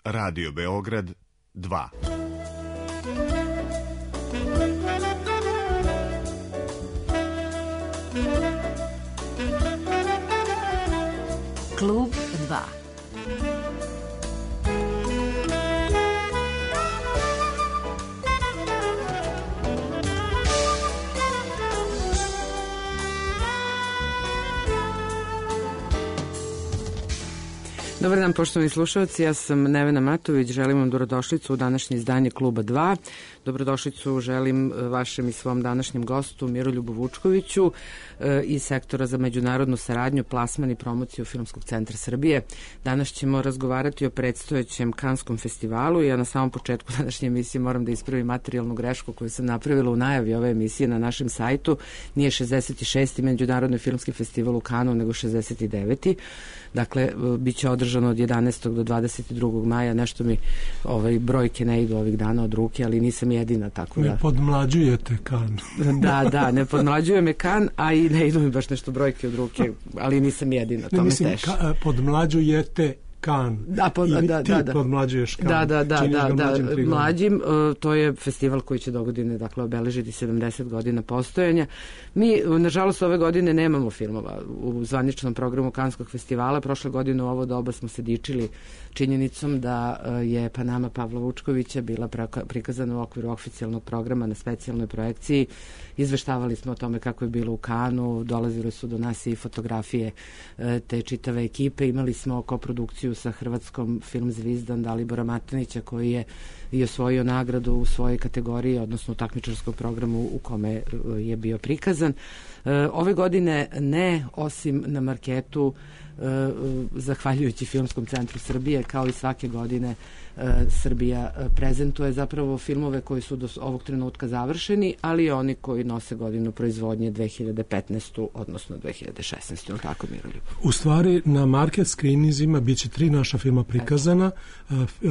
Radio Beograd 2. Klub 2. Dobar dan, poštovani slušalci, ja sam Nevena Matović, želim vam dobrodošlicu u današnje izdanje Kluba 2. Dobrodošlicu želim vašem i svom današnjem gostu Miroljubu Vučkoviću iz Sektora za međunarodnu saradnju, plasman i promociju Filmskog centra Srbije. Danas ćemo razgovarati o predstojećem Kanskom festivalu. Ja na samom početku današnje emisije moram da ispravim materijalnu grešku koju sam napravila u najavi ove emisije na našem sajtu. Nije 66. Međunarodni filmski festival u Kanu, nego 69. Dakle, bit će održano od 11. do 22. maja. Nešto mi brojke ne idu ovih dana od ruke, ali nisam jedina, tako da... Ne podmlađujete Kan. Da, ne podmlađuje me Kan, a i ne idu mi baš nešto brojke od ruke, ali nisam jedina, to me teši. Podmlađujete Kan. Ti podmlađuješ Kan. Da, mlađim. To je festival koji će dogodine, dakle, obeležiti 70 godina postojanja. Mi, nažalost, ove godine nemamo filmova u zvaničnom programu Kanskog festivala. Prošle godine u ovo doba smo se dičili činjenicom da je Panama Pavla Vučkovića bila prikazana u okviru oficijalnog programa na specijalnoj projekciji. Izveštavali smo o tome kako je bilo u Kanu, dolazile su do nas i fotografije te čitave ekipe. Imali smo koprodukciju sa hrvatskom Film Zvizdan Dalibora Matanića, koji je i osvojio nagradu u svojoj kategoriji, odnosno u takmičarskom programu u kome je bio prikazan. Ove godine ne, osim na marketu, zahvaljujući Filmskom centru Srbije, kao i svake godine Srbija prezentuje zapravo filmove koji su do ovog trenutka završeni, ali oni koji nose godinu proizvodnje 2015. odnosno 2016. Tako, Miroljub? U stvari, na market screeningzima bit će 3 naša filma prikazana.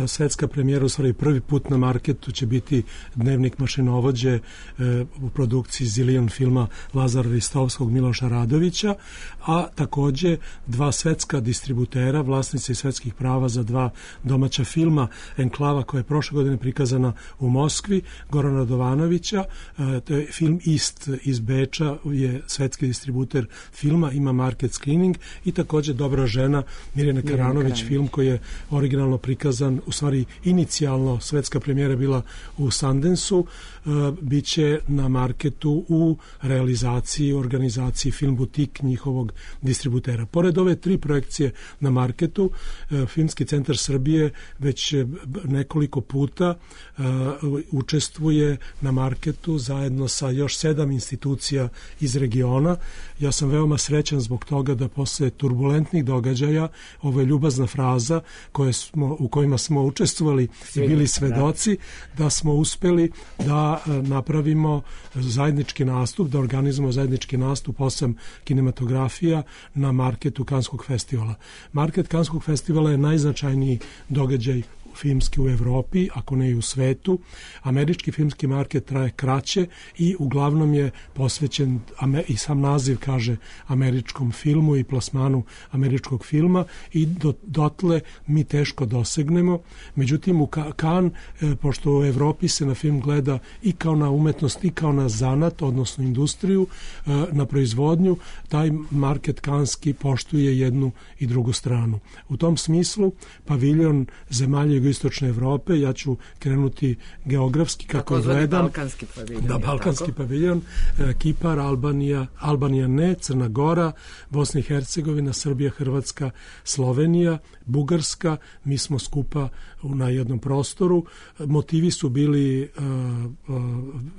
Svetska premijera, u stvari prvi put na marketu će biti Dnevnik mašinovođe u produkciji Zilion filma Lazara Ristovskog, Miloša Radovića, a takođe 2 svetska distributera, vlasnici svetskih prava za 2 domaća filma, Enklava, koja je prošle godine prikazana u Moskvi, Gorana Radovanovića, to je film Ist iz Beča, je svetski distributer filma, ima market screening, i takođe Dobra žena Mirjane Karanović, film koji je originalno prikazan, u stvari inicijalno svetska premijera bila u Sundanceu, biće na marketu u realizaciji, organizaciji Film Butik njihovog distributera. Pored ove 3 projekcije na marketu, Filmski centar Srbije već nekoliko puta učestvuje na marketu zajedno sa još 7 institucija iz regiona. Ja sam veoma srećan zbog toga da posle turbulentnih događaja, ovo je ljubazna fraza u kojima smo učestvovali i bili svedoci, da smo uspeli da napravimo zajednički nastup, da organizujemo zajednički nastup 8 kinematografija na marketu Kanskog festivala. Market Kanskog festivala je najznačajniji događaj filmski u Evropi, ako ne i u svetu. Američki filmski market traje kraće i uglavnom je posvećen, i sam naziv kaže, američkom filmu i plasmanu američkog filma, i dotle mi teško dosegnemo. Međutim, u Kan, pošto u Evropi se na film gleda i kao na umetnost i kao na zanat, odnosno industriju, na proizvodnju, taj market kanski poštuje jednu i drugu stranu. U tom smislu, paviljon zemalja jugoistočne Evrope, ja ću krenuti geografski kako gledam. Balkanski paviljon. Da, balkanski paviljon, Kipar, Albanija ne, Crna Gora, Bosna i Hercegovina, Srbija, Hrvatska, Slovenija, Bugarska, mi smo skupa na jednom prostoru. Motivi su bili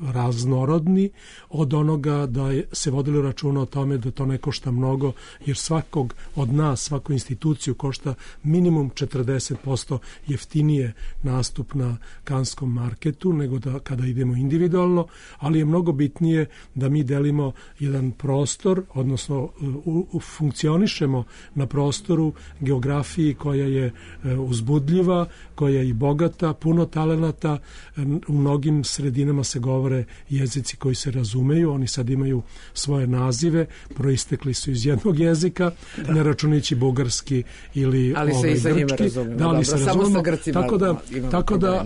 raznorodni, od onoga da se vodilo računa o tome da to ne košta mnogo, jer svakog od nas, svaku instituciju košta minimum 40% jeftinije nastup na Kanskom marketu nego da kada idemo individualno, ali je mnogo bitnije da mi delimo jedan prostor, odnosno funkcionišemo na prostoru, geografiji koja je uzbudljiva, koja je i bogata, puno talenata. U mnogim sredinama se govore jezici koji se razumeju, oni sad imaju svoje nazive, proistekli su iz jednog jezika, ne računajući bugarski ili ali se i sa njima razumemo. Da, ali se razumemo, trenutcima tako da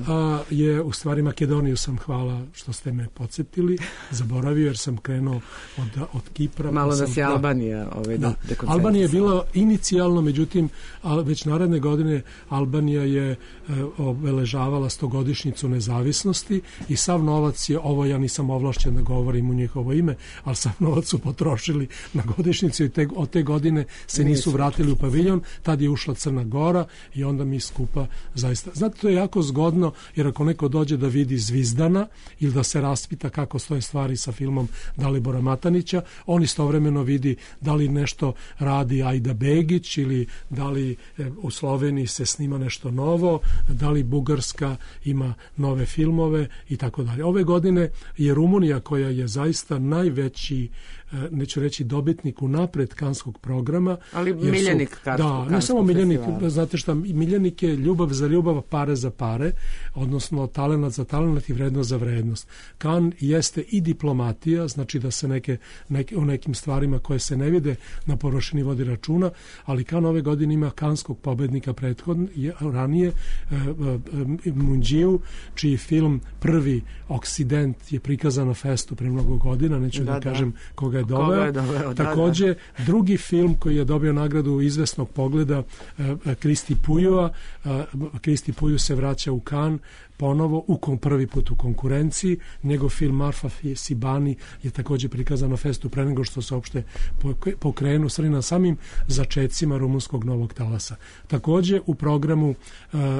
je u stvari Makedoniju sam, hvala što ste me podsjetili, zaboravio jer sam krenuo od Kipra. Malo nas je Albanija Albanija je bila inicijalno, međutim već naredne godine Albanija je obeležavala 100-godišnjicu nezavisnosti i sav novac je, ovo ja nisam ovlašćen da govorim u njihovo ime, ali sav novac su potrošili na godišnjicu i od te godine se nisu vratili u paviljon, tad je ušla Crna Gora i onda mi skupa zaista. Znate, to je jako zgodno jer ako neko dođe da vidi Zvizdana ili da se raspita kako stoje stvari sa filmom Dalibora Matanića, on istovremeno vidi da li nešto radi Ajda Begić ili da li u Sloveniji se snima nešto novo, da li Bugarska ima nove filmove i tako dalje. Ove godine je Rumunija, koja je zaista najveći, neću reći dobitnik unapred Kanskog programa. Ali miljenik Kanskog ne samo miljenik, znate šta, miljenik je ljubav za ljubav, pare za pare, odnosno talenat za talenat i vrednost za vrednost. Kan jeste i diplomatija, znači da se o nekim stvarima koje se ne vide na površini vodi računa, ali Kan ove godine ima kanskog pobednika ranije, Munđiju, čiji film prvi Oksident je prikazan na festu pre mnogo godina, neću da kažem koga je doveo. Takođe, drugi film koji je dobio nagradu izvesnog pogleda, Kristi Pujova. Kristi Puju se vraća u Kan ponovo, prvi put u konkurenciji. Njegov film Marfa Sibani je takođe prikazan na festu pre nego što se uopšte pokrenu na samim začecima rumunskog novog talasa. Takođe u programu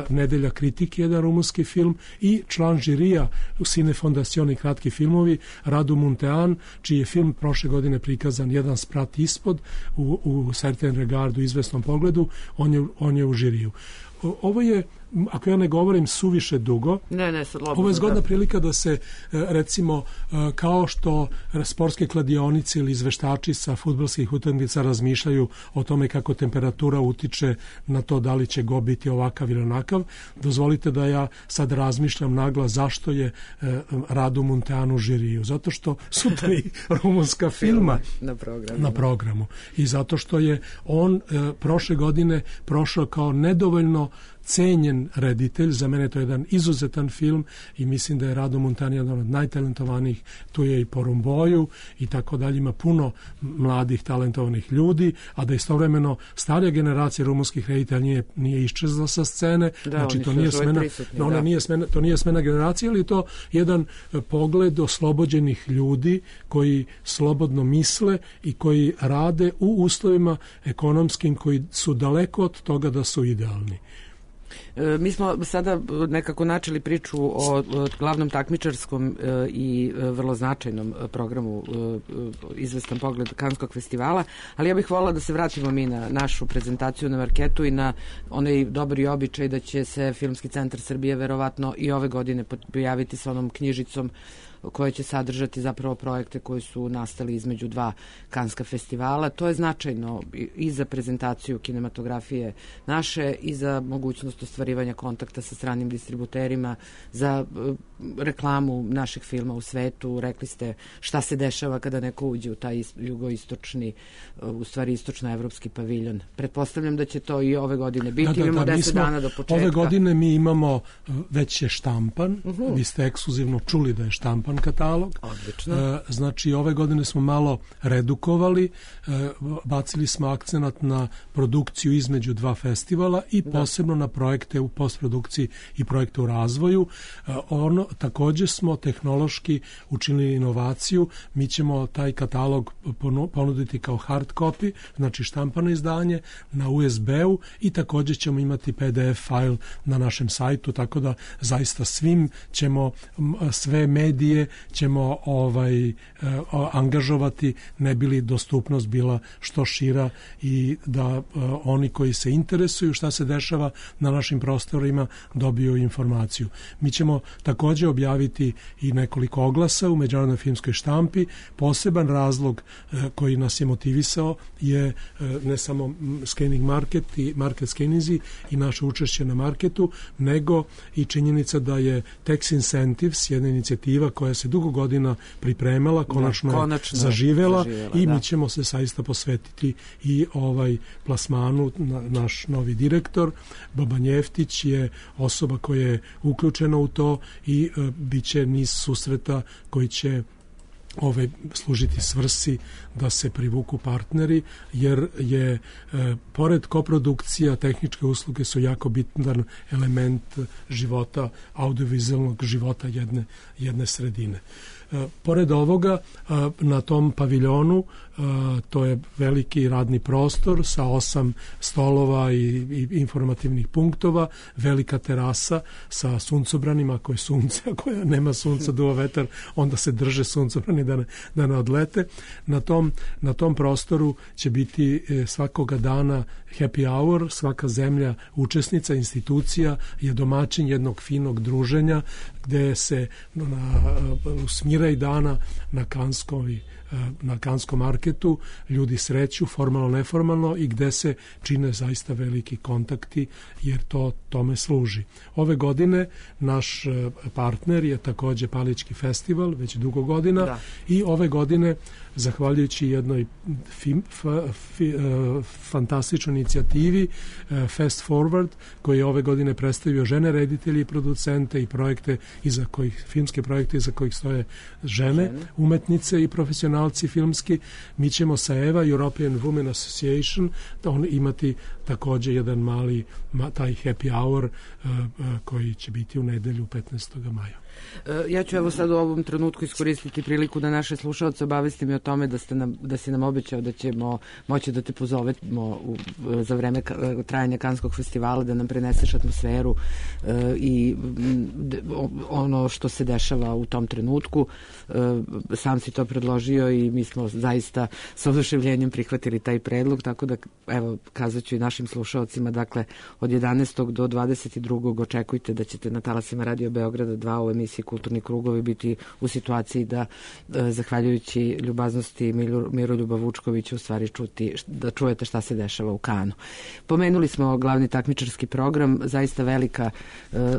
Nedelja kritike, jedan rumunski film, i član žirija u Cine Fondacioni kratki filmovi Radu Muntean, čiji je film prošle godine prikazan Jedan sprat ispod u Certain Regardu, izvesnom pogledu, on je u žiriju. Ovo je, ako ja ne govorim suviše dugo, ovo je zgodna prilika da se, recimo, kao što sportske kladionice ili izveštači sa fudbalskih utakmica razmišljaju o tome kako temperatura utiče na to da li će go biti ovakav ili onakav, dozvolite da ja sad razmišljam naglas zašto je Radu Munteanu žiriju. Zato što su 3 rumunska filma na programu i zato što je on prošle godine prošao kao nedovoljno cenjen reditelj. Za mene to je jedan izuzetan film i mislim da je Rado Muntean jedan od najtalentovanijih. Tu je i po Rumboju i tako dalje. Ima puno mladih talentovanih ljudi, a da istovremeno starija generacija rumunskih reditelja nije iščezla sa scene. Znači to nije smena, to nije smena generacije, ali je to jedan pogled oslobođenih ljudi koji slobodno misle i koji rade u uslovima ekonomskim koji su daleko od toga da su idealni. Mi smo sada nekako načeli priču o glavnom takmičarskom i vrlo značajnom programu Izvestan pogled Kanskog festivala, ali ja bih voljela da se vratimo mi na našu prezentaciju na marketu i na onaj dobri običaj da će se Filmski centar Srbije verovatno i ove godine pojaviti sa onom knjižicom koje će sadržati zapravo projekte koji su nastali između 2 Kanska festivala. To je značajno i za prezentaciju kinematografije naše i za mogućnost ostvarivanja kontakta sa stranim distributerima, za reklamu naših filma u svetu. Rekli ste šta se dešava kada neko uđe u taj jugoistočni, u stvari istočnoevropski paviljon. Pretpostavljam da će to i ove godine biti. Imamo 10 dana do početka. Ove godine mi imamo, već je štampan, vi ste ekskluzivno čuli da je štampan katalog. Odlično. Znači ove godine smo malo redukovali, bacili smo akcenat na produkciju između 2 festivala i posebno na projekte u postprodukciji i projekte u razvoju. Također smo tehnološki učinili inovaciju. Mi ćemo taj katalog ponuditi kao hard copy, znači štampano izdanje na USB-u i također ćemo imati PDF file na našem sajtu, tako da zaista svim ćemo, sve medije ćemo angažovati, ne bi li dostupnost bila što šira i da oni koji se interesuju šta se dešava na našim prostorima dobiju informaciju. Mi ćemo također objaviti i nekoliko oglasa u međunarodnoj filmskoj štampi. Poseban razlog koji nas je motivisao je ne samo Scanning Market i Market Scanninzi i naše učešće na marketu, nego i činjenica da je Tax Incentives, jedna inicijativa koja koja se dugo godina pripremala, konačno je zaživela i mi ćemo se saista posvetiti i plasmanu. Naš novi direktor Boban Jeftić je osoba koja je uključena u to i bit će niz susreta koji će služiti svrsi da se privuku partneri, jer je pored koprodukcija, tehničke usluge su jako bitan element života, audiovizualnog života jedne sredine. Pored ovoga, na tom paviljonu, to je veliki radni prostor sa 8 stolova i informativnih punktova, velika terasa sa suncobranima, ako je sunce, ako nema sunca, duva vetar, onda se drže suncobrani da ne odlete. Na tom prostoru će biti svakoga dana happy hour, svaka zemlja učesnica, institucija je domaćin jednog finog druženja gde se u smiraj dana na Kanskom marketu ljudi sreću, formalno, neformalno, i gde se čine zaista veliki kontakti, jer to tome služi. Ove godine naš partner je takođe Palički festival, već dugo godina, i ove godine, zahvaljujući jednoj fantastičnoj inicijativi Fast Forward, koji je ove godine predstavio žene reditelji i producente i projekte filmske projekte iza kojih stoje žene, umetnice i profesionalci filmski. Mi ćemo sa EVA, European Women Association, imati takođe jedan mali taj happy hour koji će biti u nedelju 15. maja. Ja ću sad u ovom trenutku iskoristiti priliku da naše slušalce obavestim i o tome da si nam obećao da ćemo moći da te pozovemo za vreme trajanja Kanskog festivala, da nam preneseš atmosferu i ono što se dešava u tom trenutku. Sam si to predložio i mi smo zaista sa oduševljenjem prihvatili taj predlog, tako da evo kazat ću i našim slušalcima, dakle od 11. do 22. očekujte da ćete na talasima Radio Beograda 2 u emisiji Kulturni krugovi biti u situaciji da, zahvaljujući ljubaznosti Miroljuba Vučkovića, u stvari da čujete šta se dešava u Kanu. Pomenuli smo glavni takmičarski program, zaista velika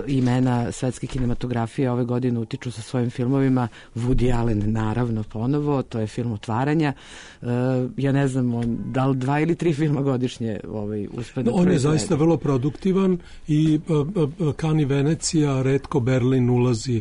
imena svetske kinematografije ove godine utiču sa svojim filmovima. Woody Allen, naravno, ponovo, to je film Otvaranja. Ja ne znam, da li 2 ili 3 filma godišnje uspe da on je zaista vrlo produktivan i Kan i Venecija, retko Berlin ulazi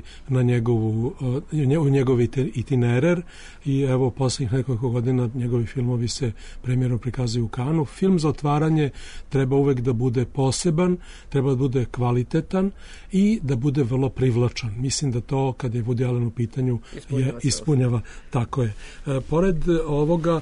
u njegov itinerar i evo poslednjih nekoliko godina njegovi filmovi se premijerno prikazuju u Kanu. Film za otvaranje treba uvek da bude poseban, treba da bude kvalitetan i da bude vrlo privlačan. Mislim da to, kada je Woody Allen u pitanju, ispunjava. Tako je. Pored ovoga,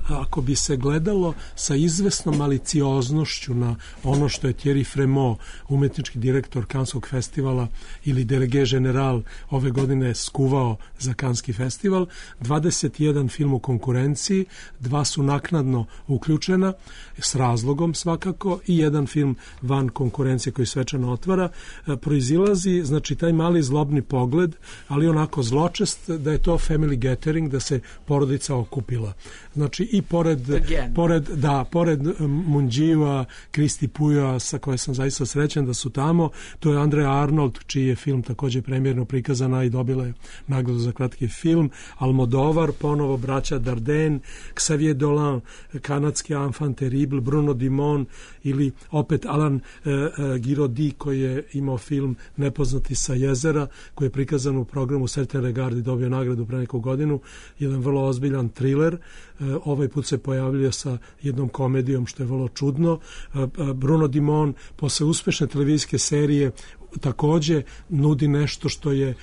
ako bi se gledalo sa izvesnom malicioznošću na ono što je Thierry Frémaux, umetnički direktor Kanskog festivala ili delege general ove godine skuvao za Kanski festival, 21 film u konkurenciji, 2 su naknadno uključena, s razlogom svakako, i jedan film van konkurencije koji svečano otvara, proizilazi, znači, taj mali zlobni pogled, ali onako zločest, da je to family gathering, da se porodica okupila. Znači, i pored Munđiva, Kristi Puja, sa koje sam zaista srećan da su tamo, to je Andrea Arnold, čiji je film takođe premijerno prikazana i dobila je nagradu za kratki film, Almodovar, ponovo braća Dardenne, Xavier Dolan, kanadski Enfant terrible, Bruno Dumont, ili opet Alain Giraudy, koji je imao film Nepoznati sa jezera, koji je prikazan u programu Certain Regard i dobio nagradu pre neku godinu, jedan vrlo ozbiljan thriller. Ovaj put se pojavljuje sa jednom komedijom, što je vrlo čudno. Bruno Dumont posle uspešne televizijske serije takođe nudi nešto što je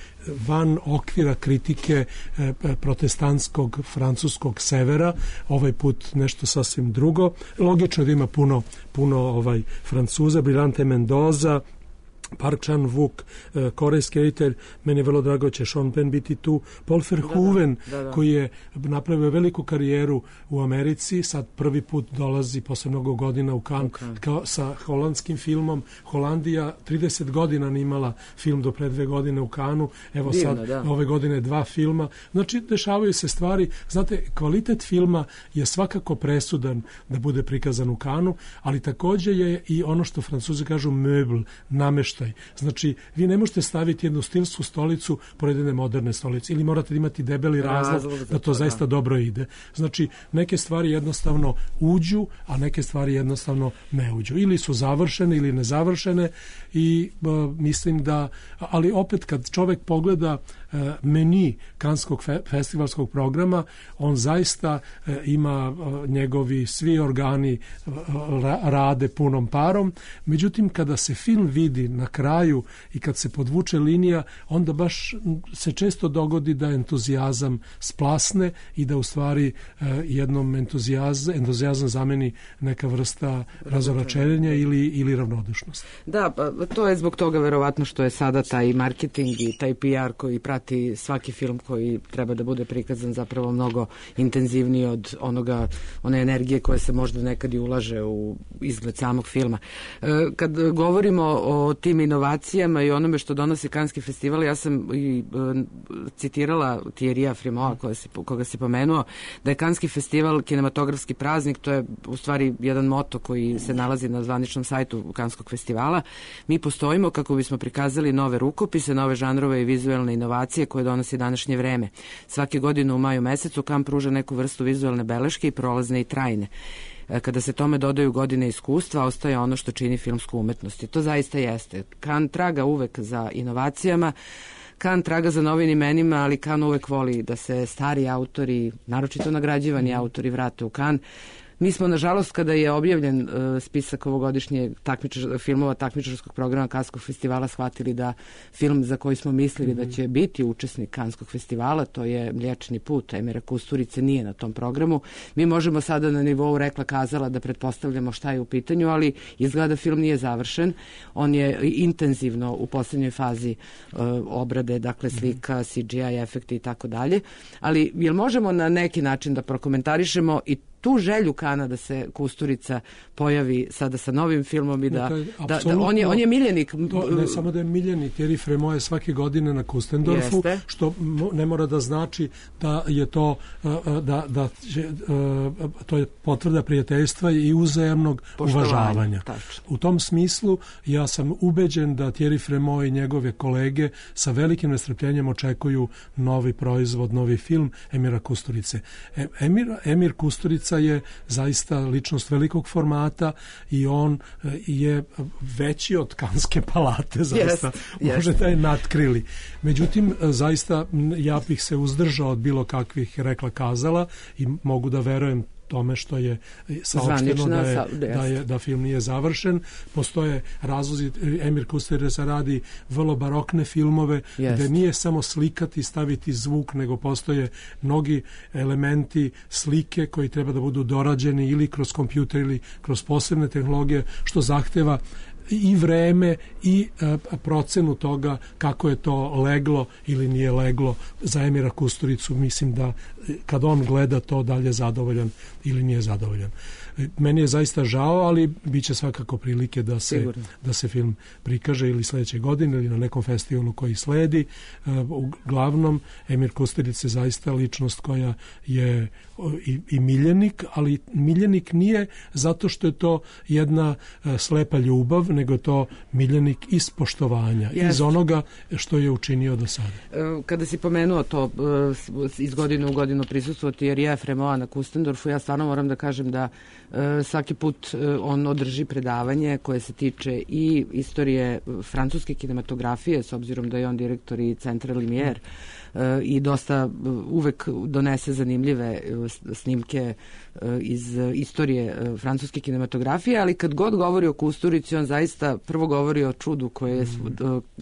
van okvira kritike protestantskog francuskog severa, ovaj put nešto sasvim drugo. Logično da ima puno Francuza, Brillante Mendoza, Park Chan-wook, korejski reditelj, meni je vrlo drago će Sean Penn biti tu, Paul Verhoeven, koji je napravio veliku karijeru u Americi, sad prvi put dolazi posle mnogo godina u Cannes sa holandskim filmom. Holandija 30 godina nimala film do pre 2 godine u Cannesu, evo sad ove godine 2 filma. Znači, dešavaju se stvari. Znate, kvalitet filma je svakako presudan da bude prikazan u Cannesu, ali takođe je i ono što Francuzi kažu meuble, nameštaj smeštaj. Znači, vi ne možete staviti jednu stilsku stolicu pored jedne moderne stolice ili morate imati debeli razlog da to zaista dobro ide. Znači, neke stvari jednostavno uđu, a neke stvari jednostavno ne uđu. Ili su završene ili nezavršene i mislim da, ali opet kad čovek pogleda meni Kanskog festivalskog programa, on zaista ima njegovi svi organi rade punom parom. Međutim, kada se film vidi na kraju i kad se podvuče linija, onda baš se često dogodi da entuzijazam splasne i da u stvari jednom entuzijazam zameni neka vrsta razočarenja ili ravnodušnosti. Da, pa to je zbog toga verovatno što je sada taj marketing i taj PR koji prati svaki film koji treba da bude prikazan zapravo mnogo intenzivniji od one energije koje se možda nekad i ulaže u izgled samog filma. Kad govorimo o tim inovacijama i onome što donosi Kanski festival, ja sam i citirala Thierrya Frémaux, koga si pomenuo, da je Kanski festival kinematografski praznik. To je u stvari jedan moto koji se nalazi na zvaničnom sajtu Kanskog festivala. Mi postojimo kako bismo prikazali nove rukopise, nove žanrove i vizuelne inovacije koje donosi današnje vreme. Svake godine u maju mesecu Kan pruža neku vrstu vizuelne beleške i prolazne i trajne. Kada se tome dodaju godine iskustva, ostaje ono što čini filmsku umetnost. I to zaista jeste. Kan traga uvek za inovacijama, Kan traga za novim imenima, ali Kan uvek voli da se stari autori, naročito nagrađivani autori, vrate u Kan. Mi smo, nažalost, kada je objavljen spisak ovogodišnje filmova takmičarskog programa Kanskog festivala, shvatili da film za koji smo mislili da će biti učesnik Kanskog festivala, to je Mliječni put Emira Kusturice, nije na tom programu. Mi možemo sada na nivou rekla kazala da pretpostavljamo šta je u pitanju, ali izgleda da film nije završen. On je intenzivno u poslednjoj fazi obrade, dakle slika, CGI efekti i tako dalje. Ali jel možemo na neki način da prokomentarišemo i tu želju Kana da se Kusturica pojavi sada sa novim filmom i da on je miljenik. Ne samo da je miljenik, Thierry Frémaux je svake godine na Kustendorfu, što ne mora da znači da je to to je potvrda prijateljstva i uzajamnog uvažavanja. Tačno. U tom smislu ja sam ubeđen da Thierry Frémaux i njegove kolege sa velikim nestrpljenjem očekuju novi proizvod, novi film Emira Kusturice. Emir Kusturica je zaista ličnost velikog formata i on je veći od Kanske palate, zaista može da je natkrili. Međutim, zaista ja bih se uzdržao od bilo kakvih rekla kazala i mogu da verujem tome što je saopšteno da film nije završen. Postoje razlozi, Emir Kusturica radi vrlo barokne filmove gde nije samo slikati i staviti zvuk, nego postoje mnogi elementi slike koji treba da budu dorađeni ili kroz kompjuter ili kroz posebne tehnologije, što zahteva i vreme i procenu toga kako je to leglo ili nije leglo za Emira Kusturicu. Mislim da kad on gleda to, da li je zadovoljan ili nije zadovoljan. Meni je zaista žao, ali bit će svakako prilike da se film prikaže ili sledeće godine ili na nekom festivalu koji sledi. Uglavnom, Emir Kusturica je zaista ličnost koja je i miljenik, ali miljenik nije zato što je to jedna slepa ljubav, nego je to miljenik iz poštovanja, iz onoga što je učinio do sada. Kada si pomenuo to iz godine u godinu prisustvo Thierrya Frémauxa na Kustendorfu, ja stvarno moram da kažem da svaki put on održi predavanje koje se tiče i istorije francuske kinematografije, s obzirom da je on direktor i Centra Lumière, i dosta uvek donese zanimljive snimke iz istorije francuske kinematografije, ali kad god govori o Kusturici, on zaista prvo govori o čudu koje je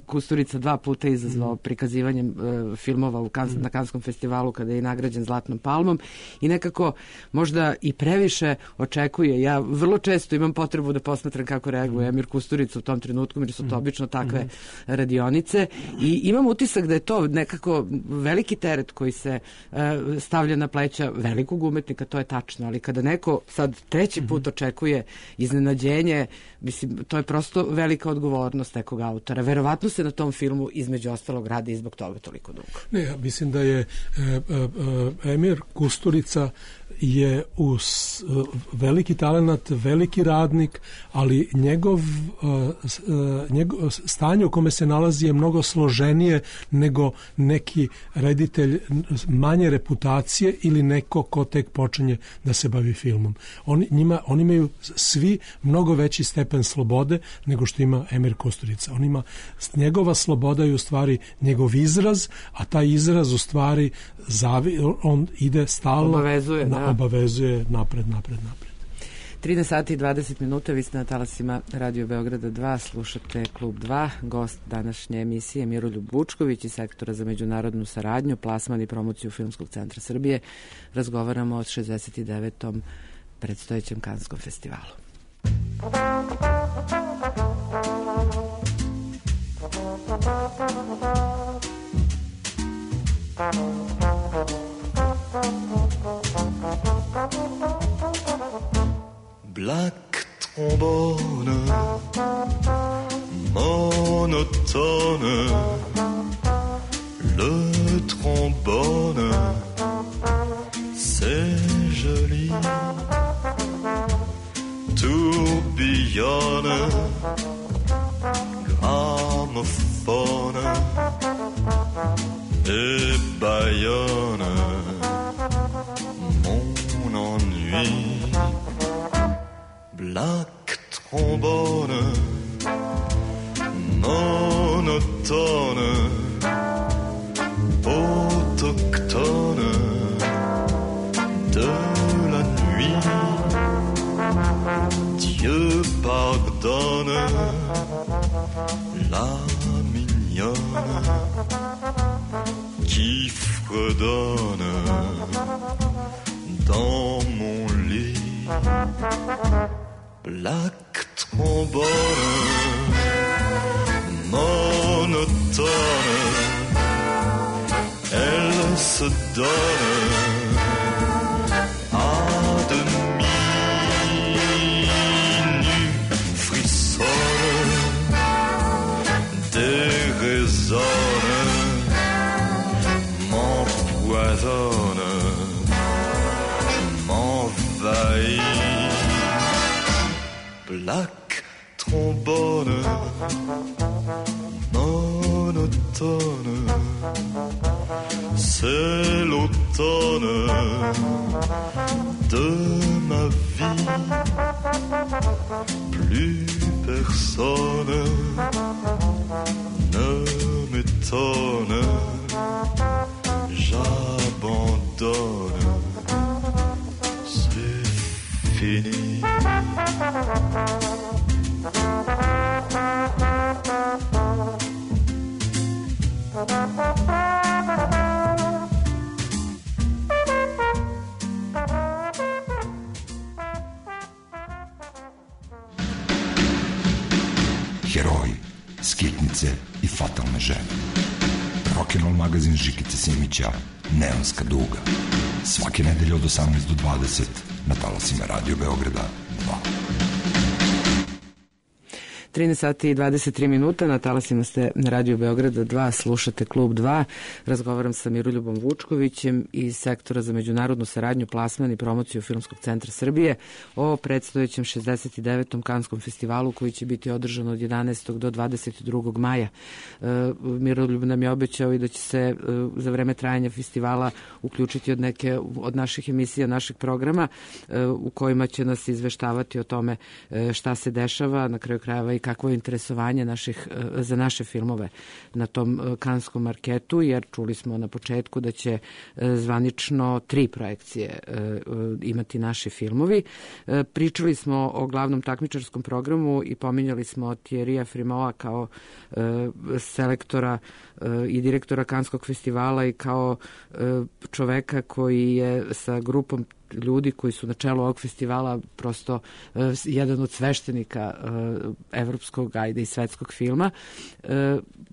Kusturica 2 puta izazvao prikazivanjem filmova na Kanskom festivalu kada je nagrađen Zlatnom palmom i nekako možda i previše očekuje. Ja vrlo često imam potrebu da posmatram kako reaguje Emir Kusturica u tom trenutku, jer su to obično takve radionice i imam utisak da je to nekako veliki teret koji se stavlja na pleća velikog umetnika, to je tačno, ali kada neko sad treći put očekuje iznenađenje, mislim, to je prosto velika odgovornost nekog autora. Verovatno se na tom filmu između ostalog radi i zbog toga toliko dugo. Ne, ja mislim da je Emir Kusturica je veliki talenat, veliki radnik, ali njegov stanje u kome se nalazi je mnogo složenije nego neki reditelj manje reputacije ili neko ko tek počinje da se bavi filmom. Oni imaju svi mnogo veći stepen slobode nego što ima Emir Kusturica. Njegova sloboda je u stvari njegov izraz, a taj izraz u stvari on ide stalno, obavezuje napred. 13 sati i 20 minuta, vi ste na talasima Radio Beograda 2, slušate Klub 2, gost današnje emisije Miroljub Vučković iz Sektora za međunarodnu saradnju, plasman i promociju Filmskog centra Srbije. Razgovaramo o 69. predstojećem Kanskom festivalu. Black trombone, monotone, le trombone, c'est joli, tourbillonne, gramophone et bâillonne mon ennui. Black trombone, monotone, autochtone de la nuit. Dieu pardonne la mignonne qui fredonne dans mon lit. Black trombone, monotone, elle se donne à demi nue, frissonne, déraisonne, m'empoisonne, m'envahit. Black trombone, monotone, c'est l'automne de ma vie. Plus personne ne m'étonne, j'abandonne, c'est fini. Heroji, skitnice i fatalne žene. Rock'n'roll magazin Žikice Simića, Neonska duga. Svake nedelje od 18 do 20 na talasima Radio Beograda 2. 13 sati i 23 minuta, na talasima ste na Radio Beograda 2, slušate Klub 2. Razgovaram sa Miroljubom Vučkovićem iz Sektora za međunarodnu saradnju, plasman i promociju Filmskog centra Srbije o predstojećem 69. Kanskom festivalu koji će biti održan od 11. do 22. maja. Miroljub nam je obećao i da će se za vreme trajanja festivala uključiti od neke od naših emisija, naših programa u kojima će nas izveštavati o tome šta se dešava, na kraju krajeva i kakvo je interesovanje za naše filmove na tom kanskom marketu, jer čuli smo na početku da će zvanično 3 projekcije imati naši filmovi. Pričali smo o glavnom takmičarskom programu i pominjali smo Thierryja Frimaua kao selektora i direktora Kanskog festivala i kao čoveka koji je sa grupom ljudi koji su na čelu ovog festivala prosto jedan od sveštenika evropskog, ajde i svetskog filma.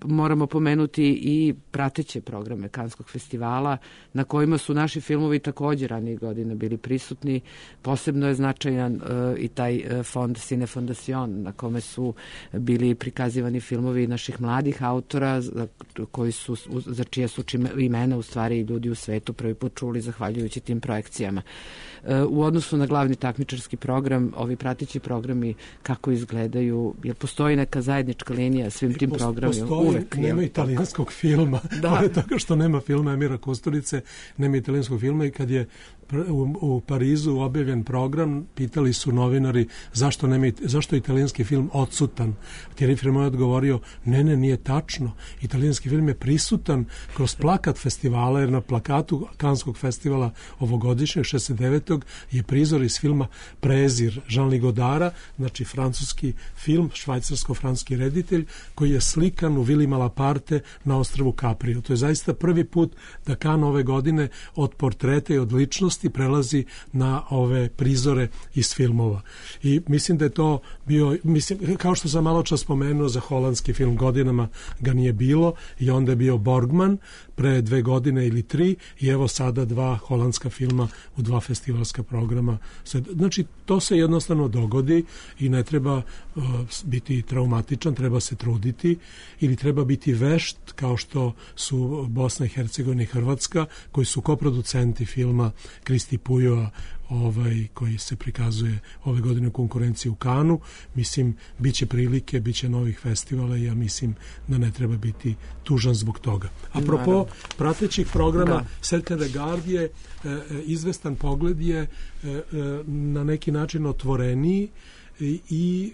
Moramo pomenuti i prateće programe Kanskog festivala na kojima su naši filmovi također ranijih godina bili prisutni. Posebno je značajan i taj fond Cine Fondation na kome su bili prikazivani filmovi naših mladih autora za čije su imena u stvari ljudi u svetu prvi put čuli zahvaljujući tim projekcijama. U odnosu na glavni takmičarski program, ovi prateći programi kako izgledaju, jer postoji neka zajednička linija svim tim programima? Uvek. Nema italijanskog filma. Pored toga što nema filma Emira Kusturice, nema italijanskog filma i kad je u Parizu objavljen program, pitali su novinari zašto je italijanski film odsutan. Thierry Fremont je odgovorio, ne, nije tačno. Italijanski film je prisutan kroz plakat festivala, jer na plakatu Kanskog festivala ovogodišnjeg 69. je prizor iz filma Prezir Jean-Louis Godara, znači francuski film, švajcarsko-franski reditelj, koji je slikan u Vili Malaparte na ostrvu Caprio. To je zaista prvi put da Cannes ove godine od portreta i od ličnosti prelazi na ove prizore iz filmova. I mislim da je to bio, kao što sam malo čas spomenuo za holandski film, godinama ga nije bilo i onda je bio Borgman pre 2 godine ili 3 i evo sada 2 holandska filma u 2 festivalska programa. Znači, to se jednostavno dogodi i ne treba biti traumatičan, treba se truditi ili treba biti vešt kao što su Bosna i Hercegovina i Hrvatska, koji su koproducenti filma Kristi Pujoa, koji se prikazuje ove godine u konkurenciji u Cannesu. Mislim, biće prilike, biće novih festivala i ja mislim da ne treba biti tužan zbog toga. Apropo pratećih programa, Certain Regard je izvestan pogled je na neki način otvoreniji i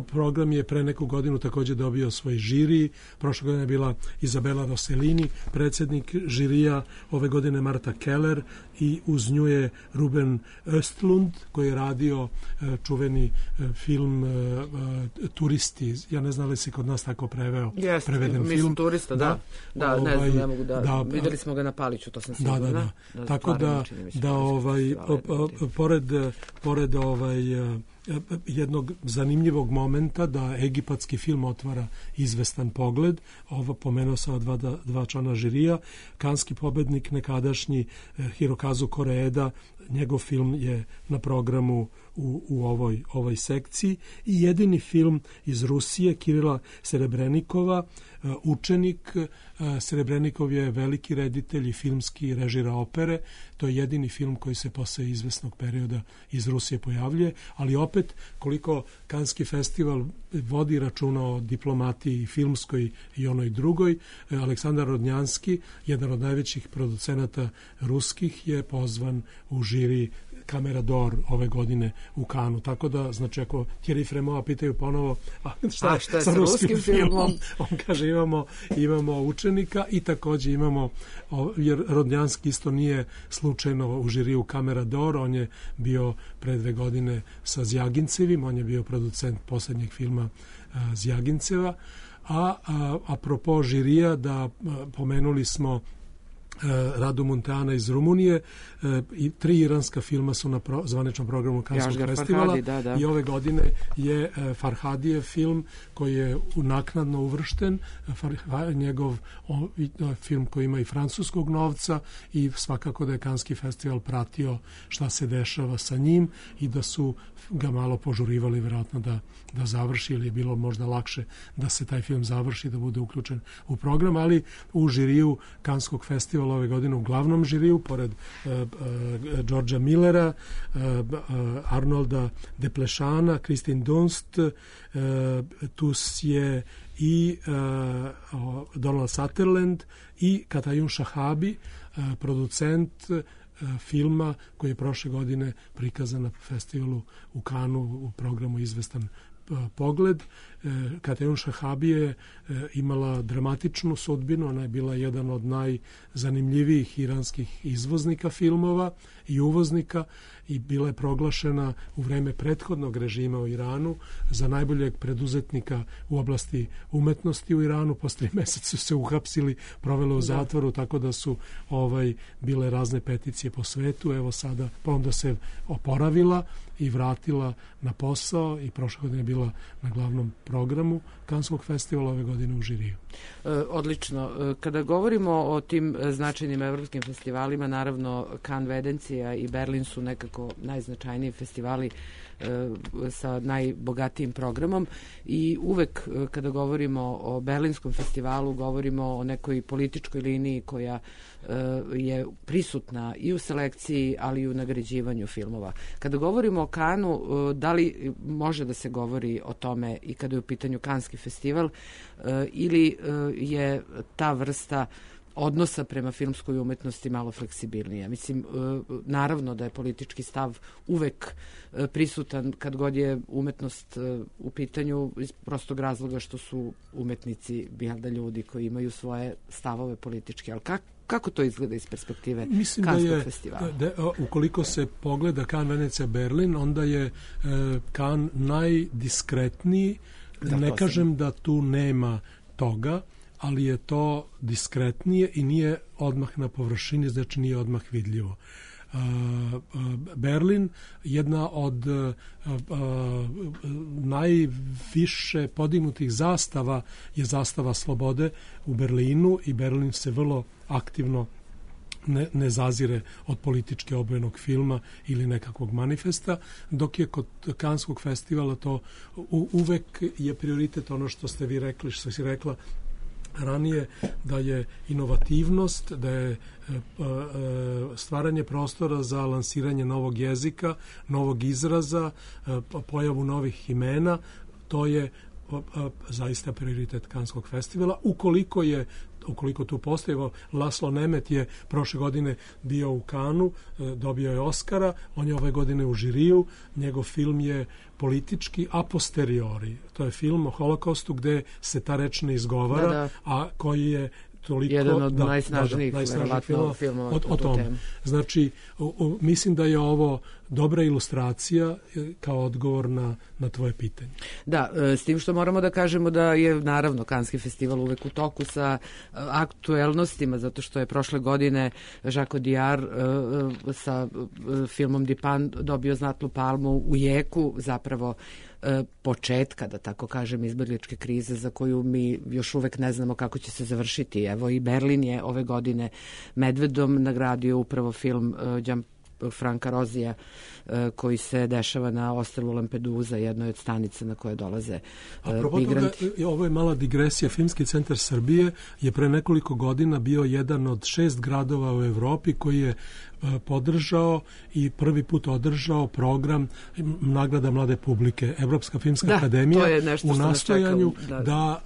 program je pre neku godinu također dobio svoj žiri. Prošle godine je bila Izabela Rossellini, predsjednik žirija, ove godine Marta Keller i uz nju je Ruben Östlund koji je radio čuveni film Turisti. Ja ne znam li se kod nas tako preveden film. Turista, da. Ne znam, ne mogu da. Vidjeli smo ga na Paliću, to sam sigurna. Tako da pored jednog zanimljivog momenta da egipatski film otvara izvestan pogled. Ovo pomenuo sam dva člana žirija. Kanski pobednik nekadašnji Hirokazu Koreeda, njegov film je na programu u ovoj sekciji i jedini film iz Rusije Kirila Serebrenikova, učenik. Serebrenikov je veliki reditelj i filmski režira opere. To je jedini film koji se posle izvesnog perioda iz Rusije pojavljuje, ali opet koliko Kanski festival vodi računa o diplomatiji filmskoj i onoj drugoj, Aleksandar Rodnjanski, jedan od najvećih producenata ruskih, je pozvan u žiri Camera d'Or ove godine u Cannesu. Tako da, znači, ako Thierry Fremont pitaju ponovo šta je sa ruskim filmom, on kaže imamo učenika i također imamo, jer Rodnjanski isto nije slučajno u žiriju Camera d'Or, on je bio pre 2 godine sa Zjagincevim, on je bio producent posljednjeg filma Zjaginceva. Apropo žirija, da pomenuli smo Radu Munteana iz Rumunije i 3 iranska filma su na zvaničnom programu Kanskog festivala. I ove godine je Farhadijev film koji je naknadno uvršten, njegov film koji ima i francuskog novca i svakako da je Kanski festival pratio šta se dešava sa njim i da su ga malo požurivali vjerojatno da završi, ili je bilo možda lakše da se taj film završi, da bude uključen u program, ali u žiriju Kanskog festivala ove godine, u glavnom žiriju, pored Georgea Millera, Arnolda Deplešana, Kristin Dunst, tu je i Donald Sutherland i Katayun Shahabi, producent filma koji je prošle godine prikazan na festivalu u Cannesu u programu Izvestan pogled. Katayun Shahabi je imala dramatičnu sudbinu, ona je bila jedan od najzanimljivijih iranskih izvoznika filmova i uvoznika i bila je proglašena u vreme prethodnog režima u Iranu za najboljeg preduzetnika u oblasti umetnosti u Iranu. Posle 3 meseca su se uhapsili, provele u zatvoru, tako da su bile razne peticije po svetu. Evo sada, pa onda se oporavila i vratila na posao i prošle godine je bila na glavnom programu Kanskog festivala, ove godine u žiriju. Odlično. Kada govorimo o tim značajnim evropskim festivalima, naravno Cannes, Venecija i Berlin su nekako najznačajniji festivali sa najbogatijim programom i uvek kada govorimo o Berlinskom festivalu govorimo o nekoj političkoj liniji koja je prisutna i u selekciji, ali i u nagrađivanju filmova. Kada govorimo o Kanu, da li može da se govori o tome i kada je u pitanju Kanski festival ili je ta vrsta odnosa prema filmskoj umetnosti malo fleksibilnija. Mislim, naravno da je politički stav uvek prisutan kad god je umetnost u pitanju iz prostog razloga što su umetnici da ljudi koji imaju svoje stavove političke, ali kako to izgleda iz perspektive Kanskog festivala? Ukoliko se pogleda Kan, Venecija, Berlin, onda je Kan najdiskretniji. Ne kažem da tu nema toga, ali je to diskretnije i nije odmah na površini, znači nije odmah vidljivo. Berlin, jedna od najviše podignutih zastava je zastava slobode u Berlinu i Berlin se vrlo aktivno ne zazire od politički obojenog filma ili nekakvog manifesta, dok je kod Kanskog festivala to uvek je prioritet ono što ste vi rekli, što si rekla ranije, da je inovativnost, da je stvaranje prostora za lansiranje novog jezika, novog izraza, pojavu novih imena, to je zaista prioritet Kanskog festivala. Ukoliko tu postoji, Laslo Nemet je prošle godine bio u Kanu, dobio je Oskara, on je ove godine u žiriju, njegov film je politički a posteriori. To je film o Holokaustu gde se ta reč ne izgovara, a koji je toliko... Jedan od najsnažnijih filmova o tome. Znači, mislim da je ovo dobra ilustracija kao odgovor na tvoje pitanje. Da, s tim što moramo da kažemo da je naravno Kanski festival uvek u toku sa aktuelnostima, zato što je prošle godine Jacques Audiard sa filmom Dipan dobio Zlatnu palmu u jeku zapravo početka, da tako kažem, izbegličke krize za koju mi još uvek ne znamo kako će se završiti. Evo i Berlin je ove godine Medvedom nagradio upravo film Franka Rozija koji se dešava na ostrvu Lampedusa, jednoj od stanica na koje dolaze migranti. Ovo je mala digresija. Filmski centar Srbije je pre nekoliko godina bio jedan od 6 gradova u Evropi koji je podržao i prvi put održao program nagrada mlade publike. Evropska filmska akademija u nastojanju da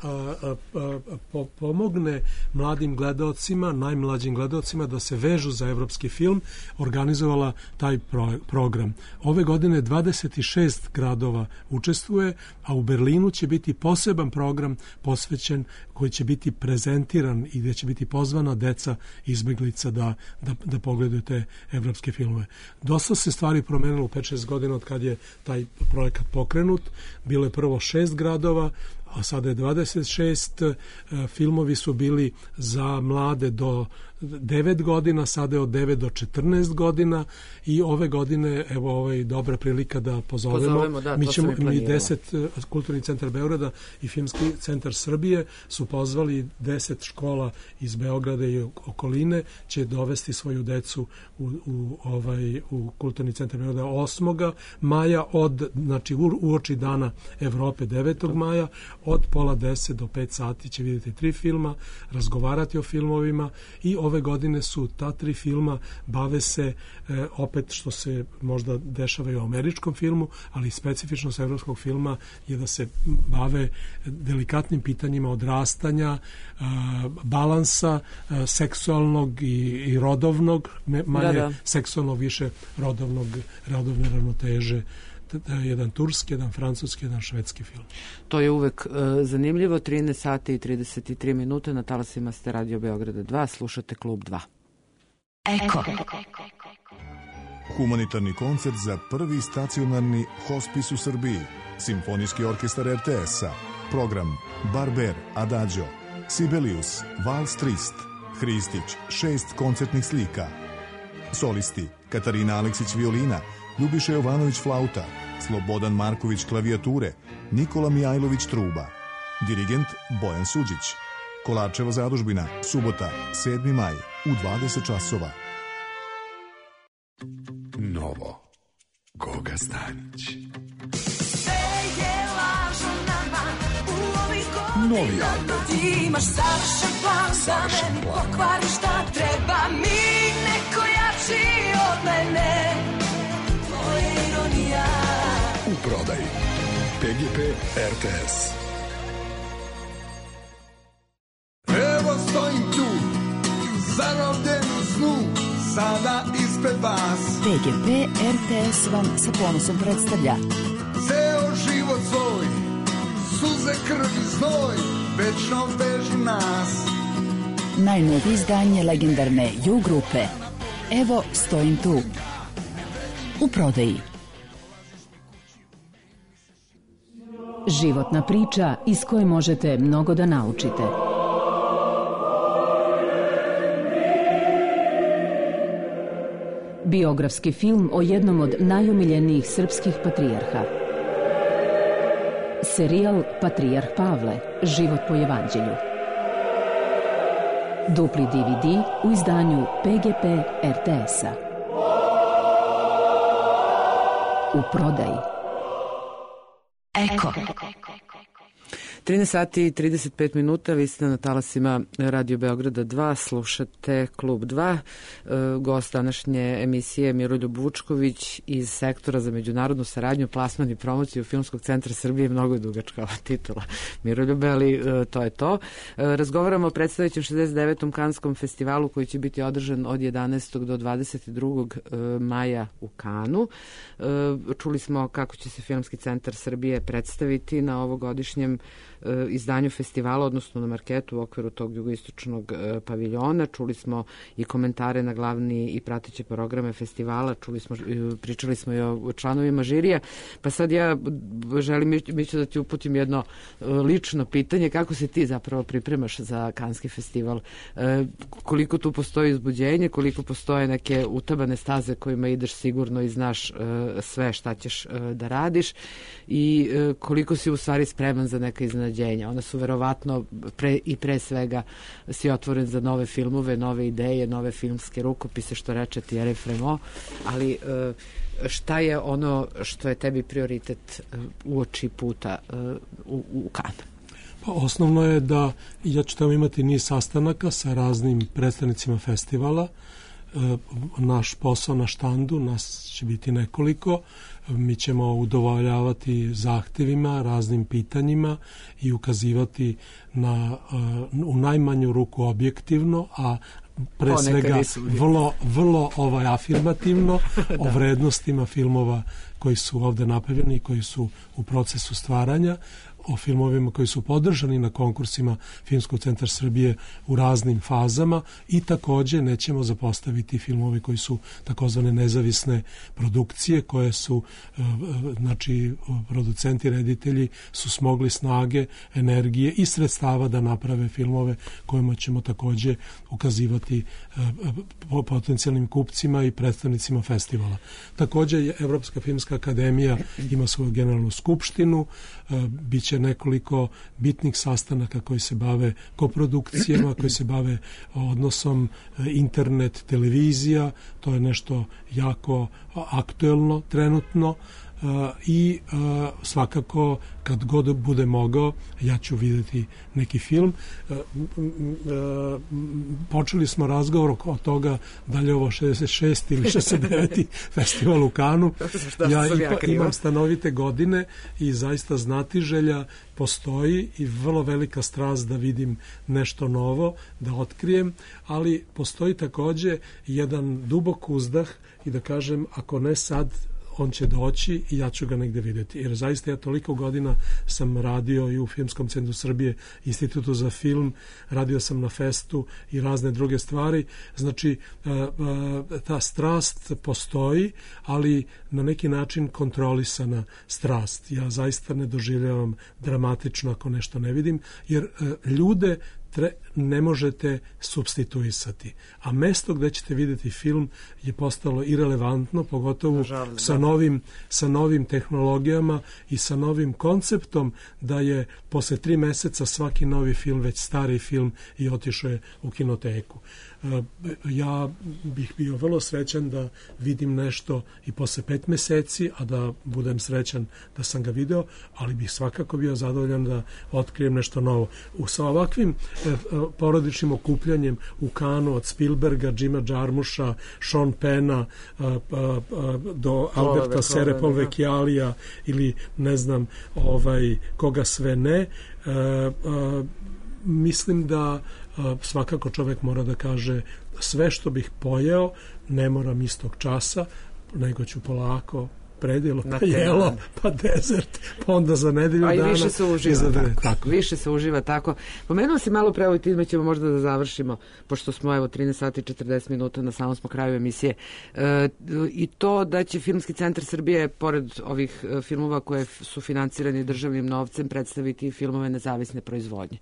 pomogne mladim gledaocima, najmlađim gledaocima da se vežu za evropski film, organizovala taj program. Ove godine 26 gradova učestvuje, a u Berlinu će biti poseban program posvećen koji će biti prezentiran i gdje će biti pozvana deca izbeglica da pogledaju te evropske filmove. Dosta se stvari promenilo u 5-6 godina od kad je taj projekat pokrenut. Bilo je prvo 6 gradova, a sada je 26. Filmovi su bili za mlade do 9 godina, sada je od 9 do 14 godina i ove godine, evo ovo je dobra prilika da pozovemo. Mi 10, Kulturni centar Beograda i Filmski centar Srbije su pozvali 10 škola iz Beograda i okoline, će dovesti svoju decu u Kulturni centar Beograda 8. maja, znači uoči dana Evrope 9. maja, od pola 10 do 5 sati će vidjeti 3 filma, razgovarati o filmovima i ove godine su ta 3 filma bave se opet što se možda dešava i u američkom filmu, ali specifičnost evropskog filma je da se bave delikatnim pitanjima odrastanja, balansa seksualnog i rodovnog, manje seksualnog, više rodovne ravnoteže. Jedan turski, jedan francuski, jedan švedski film. To je uvek zanimljivo. 13 sati i 33 minute na talasima ste Radio Beograda 2. Slušate Klub 2. Eko. Humanitarni koncert za prvi stacionarni hospis u Srbiji. Simfonijski orkestar RTS-a. Program Barber, Adagio, Sibelius, Vals Trist, Hristić, 6 koncertnih slika. Solisti Katarina Aleksić violina, Ljubiša Jovanović flauta, Slobodan Marković klavijature, Nikola Mijajlović truba. Dirigent Bojan Suđić. Kolarčeva zadužbina, subota, 7. maj, u 20 časova. Novo. Goga Stanić. Novi album. Ti imaš savršen plan da meni pokvari šta treba mi neko jači od mene. To je ironija. U prodaji PGP RTS. Evo stojim tu, zarobljen u snu, sada ispred vas. PGP RTS vam sa ponosom predstavlja Ceo život svoj, suze, krv i znoj, večno vežu nas. najnovije izdanje legendarne U grupe Evo stojim tu. U prodaji. Životna priča iz koje možete mnogo da naučite. Biografski film o jednom od najomiljenijih srpskih patrijarha. Serijal Patrijarh Pavle, život po evanđelju. Dupli DVD u izdanju PGP RTS-a. U prodaji. Eko. 13 sati i 35 minuta, vi ste na talasima Radio Beograda 2, slušate Klub 2. Gost današnje emisije Miroljub Vučković iz Sektora za međunarodnu saradnju, plasman i promociju Filmskog centra Srbije. Mnogo je dugačka ova titula, Miroljube, ali to je to. Razgovaramo o predstojećem 69. Kanskom festivalu koji će biti održan od 11. do 22. maja u Kanu. Čuli smo kako će se Filmski centar Srbije predstaviti na ovogodišnjem izdanju festivala, odnosno na marketu u okviru tog jugoistočnog paviljona. Čuli smo i komentare na glavni i prateće programe festivala, pričali smo i o članovima žirija, pa sad ja želim, Mićo, da ti uputim jedno lično pitanje, kako se ti zapravo pripremaš za Kanski festival? Koliko tu postoji uzbuđenje, koliko postoje neke utabane staze kojima ideš sigurno i znaš sve šta ćeš da radiš i koliko si u stvari spreman za neka iznenađenja? Ona su verovatno pre svega si otvoren za nove filmove, nove ideje, nove filmske rukopise, što reče Thierry Frémaux, ali šta je ono što je tebi prioritet uoči puta u Kanu? Pa osnovno je da ja ću tamo imati niz sastanaka sa raznim predstavnicima festivala. Naš posao na štandu, nas će biti nekoliko, mi ćemo udovoljavati zahtevima, raznim pitanjima i ukazivati na u najmanju ruku objektivno, a pre svega vrlo afirmativno o vrednostima filmova koji su ovde napravljeni i koji su u procesu stvaranja, o filmovima koji su podržani na konkursima Filmskog centra Srbije u raznim fazama i takođe nećemo zapostaviti filmove koji su takozvane nezavisne produkcije, koje su, znači, producenti, reditelji su smogli snage, energije i sredstava da naprave filmove kojima ćemo takođe ukazivati potencijalnim kupcima i predstavnicima festivala. Takođe, Evropska filmska akademija ima svoju generalnu skupštinu, biće nekoliko bitnih sastanaka koji se bave koprodukcijama, koji se bave odnosom internet, televizija, to je nešto jako aktuelno trenutno i svakako kad god bude mogao ja ću vidjeti neki film. Počeli smo razgovor o toga da li je ovo 66. ili 69. festival u Kanu. Ja imam stanovite godine i zaista znatiželja postoji i vrlo velika strast da vidim nešto novo, da otkrijem, ali postoji takođe jedan dubok uzdah i da kažem, ako ne sad, on će doći i ja ću ga negde vidjeti. Jer zaista ja toliko godina sam radio i u Filmskom centru Srbije, Institutu za film, radio sam na festu i razne druge stvari. Znači, ta strast postoji, ali na neki način kontrolisana strast. Ja zaista ne doživljavam dramatično ako nešto ne vidim, jer ljude ne možete supstituisati. A mesto gde ćete vidjeti film je postalo irelevantno, pogotovo sa novim tehnologijama i sa novim konceptom da je posle 3 meseca svaki novi film već stari film i otišao je u kinoteku. Ja bih bio vrlo srećan da vidim nešto i posle 5 meseci, a da budem srećan da sam ga video, ali bih svakako bio zadovoljan da otkrijem nešto novo. Sa ovakvim porodičnim okupljanjem u Kanu od Spielberga, Jima Jarmusha, Sean Penna do Alberta Serepolvecchialija ili ne znam koga sve ne, mislim da svakako čovjek mora da kaže sve što bih pojeo ne moram istog časa, nego ću polako predjelo, pa jelo, pa dezert, pa onda za nedelju dana. A i više se uživa tako. Više se uživa tako. Pomenuo si malo pre, time ćemo možda da završimo, pošto smo 13 sati i 40 minuta, na samom smo kraju emisije. I to da će Filmski centar Srbije, pored ovih filmova koje su financirani državnim novcem, predstaviti filmove nezavisne proizvodnje.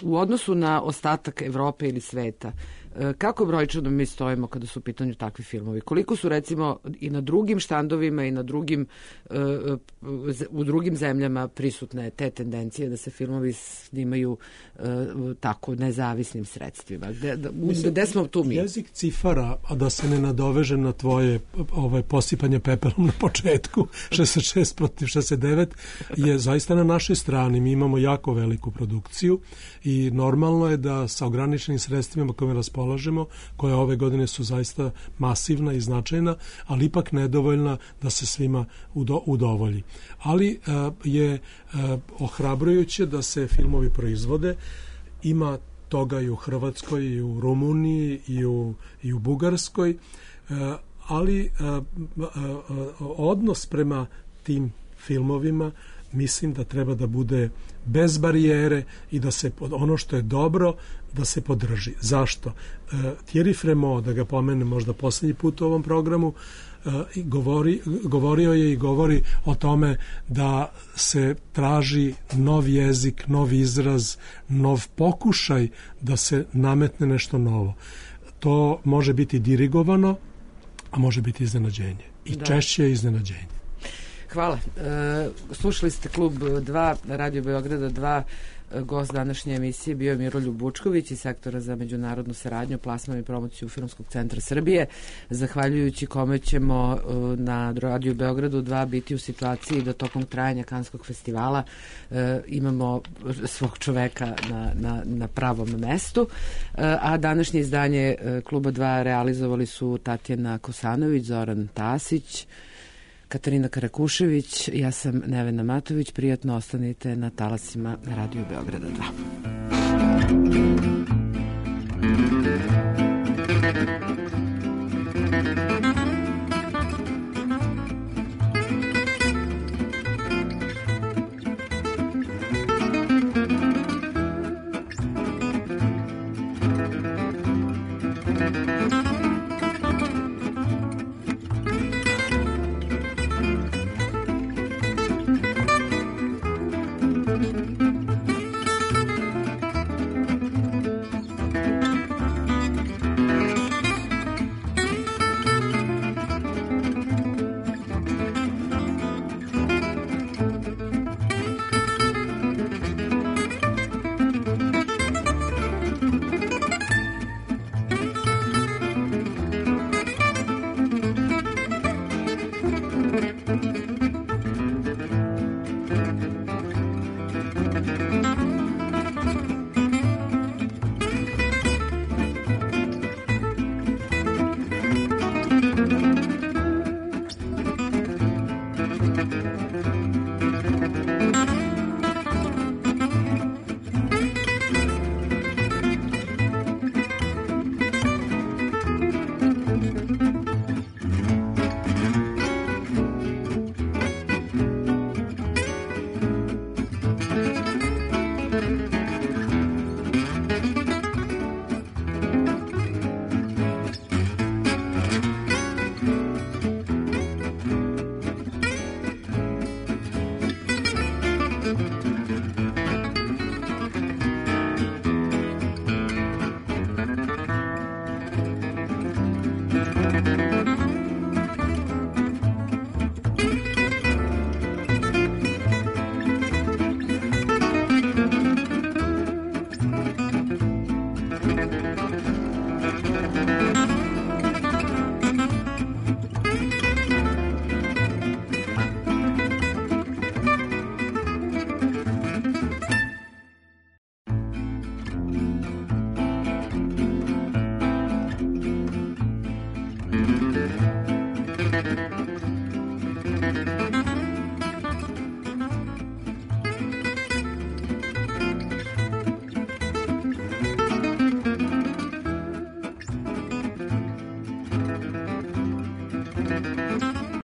U odnosu na ostatak Evrope ili sveta, kako brojčano mi stojimo kada su u pitanju takvi filmovi? Koliko su recimo i na drugim štandovima i na drugim u drugim zemljama prisutne te tendencije da se filmovi snimaju tako nezavisnim sredstvima? Gde smo tu mi? Jezik cifara, a da se ne nadoveže na tvoje posipanje pepelom na početku 66 protiv 69, je zaista na našoj strani. Mi imamo jako veliku produkciju i normalno je da sa ograničenim sredstvima kojima raspolažemo, koje ove godine su zaista masivna i značajna, ali ipak nedovoljna da se svima udovolji. Ali je ohrabrujuće da se filmovi proizvode. Ima toga i u Hrvatskoj, i u Rumuniji, i u Bugarskoj, ali odnos prema tim filmovima mislim da treba da bude bez barijere i da se ono što je dobro da se podrži. Zašto? Thierry Frémaux, da ga pomenem možda posljednji put u ovom programu, govorio je i govori o tome da se traži nov jezik, nov izraz, nov pokušaj da se nametne nešto novo. To može biti dirigovano, a može biti iznenađenje. I češće je iznenađenje. Hvala. Slušali ste Klub 2, Radio Beograda 2. Gost današnje emisije bio je Miroljub Bučković iz Sektora za međunarodnu saradnju, plasman i promociju Filmskog centra Srbije, zahvaljujući kome ćemo na Radio Beogradu 2 biti u situaciji da tokom trajanja Kanskog festivala imamo svog čoveka na pravom mestu. A današnje izdanje Kluba 2 realizovali su Tatjana Kosanović, Zoran Tasić, Katarina Karakušević, ja sam Nevena Matović. Prijatno ostanite na talasima Radio Beograda 2.